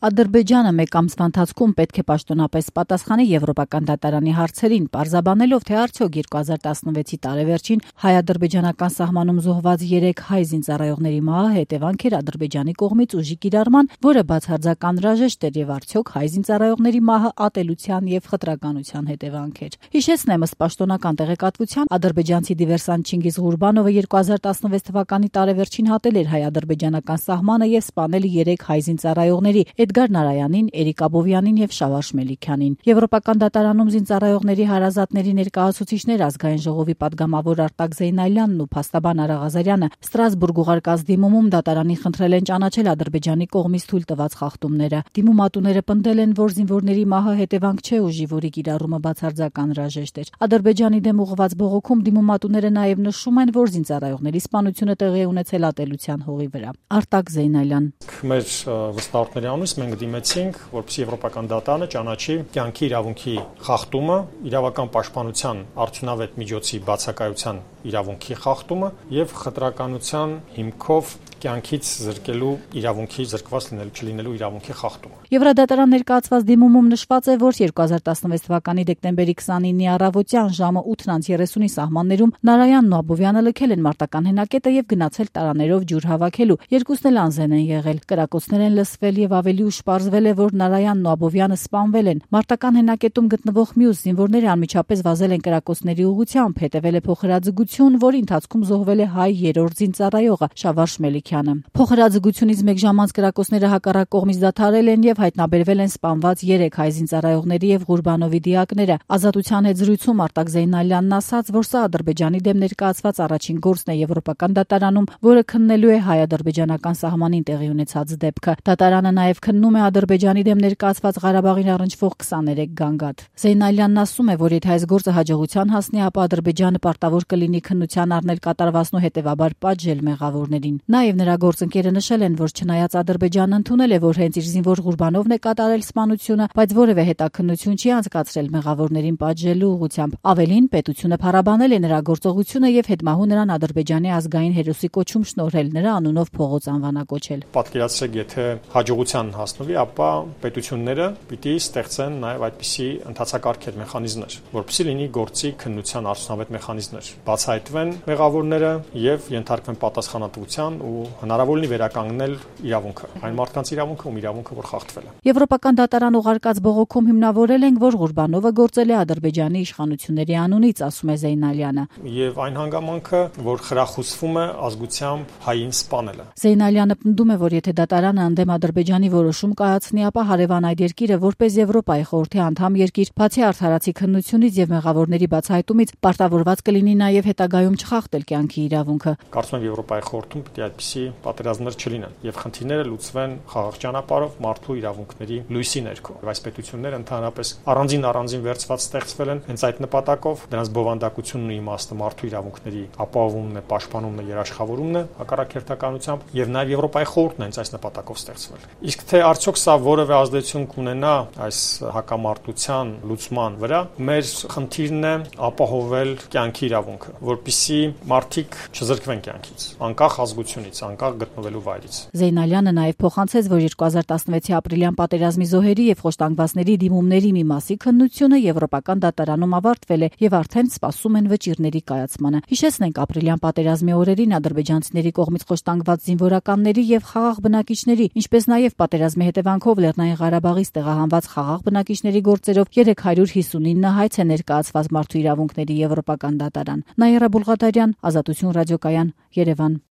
Ադրբեջանը մեկ ամսվա ընթացքում պետք է պաշտոնապես պատասխանի Եվրոպական դատարանի հարցերին, պարզաբանելով, թե արդյոք 2016-ի տարեվերջին հայ-ադրբեջանական սահմանում զոհված 3 հայ զինծառայողների մահը հետևանք էր Ադրբեջանի կողմից ուժի կիրառման, որը բացարձակ անհրաժեշտ էր, եւ արդյոք հայ զինծառայողների մահը ատելության եւ խտրականության հետևանք էր։ Հիշեցնեմ, ըստ պաշտոնական տեղեկատվության, ադրբեջանցի դիվերսանտ Չինգիզ Ղուրբանովը 2016 թվականի տարեվերջին հատել էր հայ-ադրբեջանական սահմանը եւ սպանել 3 հայ զինծառայողների՝ Էդգար Նարայանին, Էրիկ Աբովյանին եւ Շավարշ Մելիքյանին։ Եվրոպական դատարանում զինծառայողների հարազատների ներկայացուցիչներ Ազգային ժողովի պատգամավոր Արտակ Զեյնալյանն ու փաստաբան Արա Ղազարյանը Ստրասբուրգ ուղարկած դիմումում դատարանին խնդրել են ճանաչել Ադրբեջանի կողմից թույլ տված խախտումները։ Դիմումատուները պնդել են, որ զինվորների մահը հետևանք չէ ուժի, որի կիրառումը բացարձակ անհրաժեշտ էր։ Ադրբեջանի դեմ ուղղված բողոքում դիմումատուները նաեւ նշում են, որ զինծառայողների սպանությունը տեղի է ունեցել ատելության հողի վրա։ Արտակ Զեյնալյան. Մեր վստահորդների անունից մենք դիմեցինք, որպեսզի Եվրոպական դատարանը ճանաչի կյանքի իրավունքի խախտումը, իրավական պաշտպանության արդյունավետ միջոցի բացակայության իրավունքի խախտումը եւ խտրականության հիմքով կյանքից զրկելու իրավունքի զրկված չլինելու իրավունքի խախտումը։ Եվրադատարան ներկայացված դիմումում նշված է, որ 2016 թվականի դեկտեմբերի 29-ի առավոտյան ժամը 8:30-ի սահմաններում Նարայանն ու Աբովյանը լքել են մարտական հենակետը եւ գնացել տարաներով ջուր հավաքելու։ Երկուսն էլ անզեն են եղել, կրակոցներ են լսվել եւ ավելի ուշ պարզվել է, որ Նարայանն ու Աբովյանը սպանվել են։ Մարտական հենակետում գտնվող մյուս զինվորները անմիջապես վազել են կրակոցների ուղղությամբ, հետևել է փոխհրաձգություն, որի ընթացքում զոհվել է հայ 3-րդ զինծառայողը Շավարշ Մելիքյանը։ Փոխհրաձգությունից մեկ ժամ անց կրակոցները հակառակ կողմից դադարել են եւ հայտնաբերվել են սպանված 3 հայ զինծառայողների եւ Ղուրբանովի դիակները։ Ազատության հետ զրույցում Արտակ Զեյնալյանն ասաց, որ սա Ադրբեջանի դեմ ներկայացված առաջին գործն է Եվրոպական դատարանում, որը քննելու է հայ-ադրբեջանական սահմանին տեղի ունեցած դեպքը։ Դատարանը նաեւ քննում է Ադրբեջանի դեմ ներկայացված Ղարաբաղին առնչվող 23 գանգատ։ Զեյնալյանն ասում է, որ եթե այս գործը հաջողության հասնի, ապա Ադրբեջանը պարտավոր կլինի քննության առնել կատարվածն ու հետեւաբար պատժել մեղավորներին։ Նաեւ նրա գործընկերը նշել են, որ չնայած Ադրբեջանը ընդունել է, որ հենց իր զինվոր Ղուրբանովն է կատարել սպանությունը, բայց որևէ հետաքննություն չի անցկացրել մեղավորներին պատժելու ուղղությամբ։ Ավելին, պետությունը փառաբանել է նրա գործողությունը եւ հետմահու նրան Ադրբեջանի ազգային հերոսի կոչում շնորհել, նրա անունով փողոց անվանակոչել։ Պատկերացրեք, եթե հաջողության հասնվի, ապա պետությունները պիտի ստեղծեն նաեւ այդպիսի ընդհանցակարգեր, մեխանիզմներ, որպեսզի լինի գործի քննության արդյունավետ մեխանիզմներ, բացահայտվեն մեղավորները եւ ենթարկվեն պատասխանատվության ու հնարավոր լինի վերականգնել իրավունքը, այն մարդկանց իրավունքը, ում իրավունքը որ խախտվել է։ Եվրոպական դատարան ուղարկած բողոքում հիմնավորել են, որ Ղուրբանովը գործել է Ադրբեջանի իշխանությունների անունից, ասում է Զեյնալյանը։ Եվ այն հանգամանքը, որ խրախուսվում է ազգությամբ հային սպանելը։ Զեյնալյանը պնդում է, որ եթե դատարանը ընդդեմ Ադրբեջանի որոշում կայացնի, ապա հարևան այդ երկիրը որպես Եվրոպայի խորհրդի անդամ երկիր, բացի արդարացի քննությունից եւ մեղավորների բացահայտումից, պարտավորված կլինի նաեւ հետագայում չխախտել կյանքի իրավունքը։ Կարծում եմ Եվրոպայի խորհրդում պիտի այդպիսի պատերազմներ չլինեն եւ խնդիրները լուծվեն խաղաղ ճանապարհով մարդու իրավունքների լույսի ներքո։ Այս պետությունները ընդհանրապես առանձին վերծված ստեղծվել են հենց այդ նպատակով, դրանց բովանդակությունն ու իմաստը մարդու իրավունքների ապահովումն է, պաշտպանումն է, երաշխավորումն է հակառակ հերթականությամբ եւ նաեւ Եվրոպայի խորհուրդն է հենց այս նպատակով ստեղծվել։ Իսկ թե արդյոք սա որևէ ազդեցություն կունենա այս հակամարտության լուծման վրա, մեր խնդիրն է ապահովել կյանքի իրավունքը, որպեսզի մարդիկ չզրկվեն կյանքից, անկախ ազգությունից, անկախ գտնվելու վայրից։ Զեյնալյանը նաեւ փոխանցեց, որ 2016-ի ապրիլյան պատերազմի զոհերի եւ խոշտանգվածների դիմումների մի մասի քննությունը Եվրոպական դատարանում ավարտվել է եւ արդեն սպասում են վճիռների կայացմանը։ Հիշեցնենք, ապրիլյան պատերազմի օրերին ադրբեջանցիների կողմից խոշտանգված զինվորականների եւ խաղաղ բնակիչների, ինչպես նաեւ պատերազմի հետևանքով Լեռնային Ղարաբաղից տեղահանված խաղաղ բնակիչների գործերով 359 հայց է ներկայացված Մարդու իրավունքների Եվրոպական դատարան։ Նաիրա Բուլղադարյան, Ազատություն ռադիոկայան, Երևան։